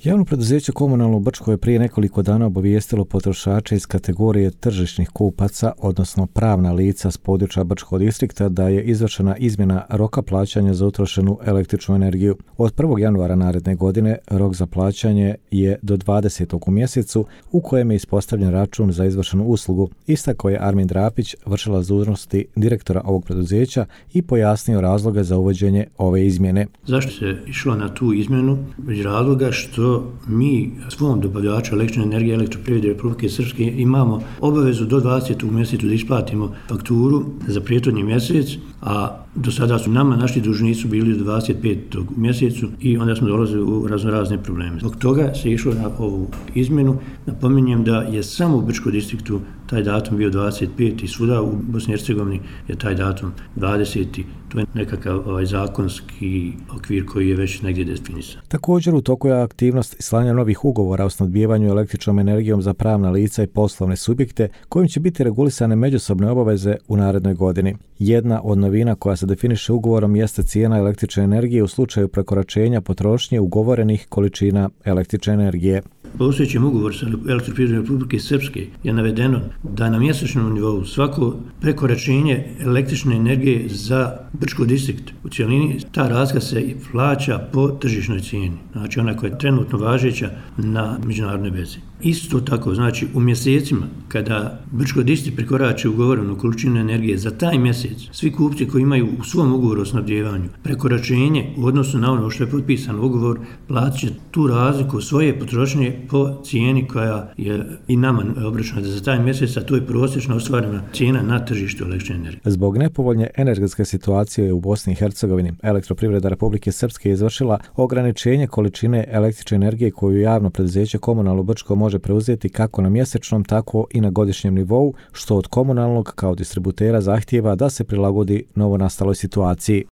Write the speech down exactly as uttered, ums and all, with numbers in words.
Javno preduzeće Komunalno u Brčkoj je prije nekoliko dana obavijestilo potrošače iz kategorije tržišnih kupaca, odnosno pravna lica s područja Brčkog distrikta, da je izvršena izmjena roka plaćanja za utrošenu električnu energiju. Od prvog januara naredne godine rok za plaćanje je do dvadesetog u mjesecu, u kojem je ispostavljen račun za izvršenu uslugu. Istakao je Armin Drapić, vršilac dužnosti direktora ovog preduzeća, i pojasnio razloge za uvođenje ove izmjene. Zašto se išlo na tu izmjenu? Iz razloga što mi svom dobavljaču električne energije Elektroprivrede Republike Srpske imamo obavezu do dvadesetog mjesecu da isplatimo fakturu za prethodni mjesec, a do sada su nama naši dužnici bili do dvadeset petog mjesecu i onda smo dolazili u raznorazne probleme. Zbog toga se išlo na ovu izmjenu. Napominjem da je samo u Brčkom distriktu taj datum bio dvadeset peti i svuda u Bosni i Hercegovini je taj datum dvadeseti. To je nekakav ovaj zakonski okvir koji je već negdje definisan. Također u toku je aktivnost slanja novih ugovora o snabdijevanju električnom energijom za pravna lica i poslovne subjekte, kojim će biti regulisane međusobne obaveze u narednoj godini. Jedna od novina koja se definiše ugovorom jeste cijena električne energije u slučaju prekoračenja potrošnje ugovorenih količina električne energije. Postojećim ugovorom sa Elektroprivredom Republike Srpske je navedeno da na mjesečnom nivou svako prekoračenje električne energije za Brčki distrikt u cjelini, ta razlika se plaća po tržišnoj cijeni, znači ona koja je trenutno važeća na međunarodnoj vezi. Isto tako, znači u mjesecima kada Brčki distrikt prekorači ugovorenu količinu energije za taj mjesec, svi kupci koji imaju u svom ugovoru o snabdijevanju prekoračenje u odnosu na ono što je potpisan ugovor, platit će tu razliku svoje potrošnje po cijeni koja je i nama obračunata za taj mjesec, a to je prosječna ostvarena cijena na tržištu električne energije. Zbog nepovoljne energetske situacije u Bosni i Hercegovini, Elektroprivreda Republike Srpske je izvršila ograničenje količine električne energije koju javno preduzeće Komunalno Brčko može preuzeti kako na mjesečnom, tako i na godišnjem nivou, što od komunalnog kao distributera zahtijeva da se prilagodi novonastaloj situaciji.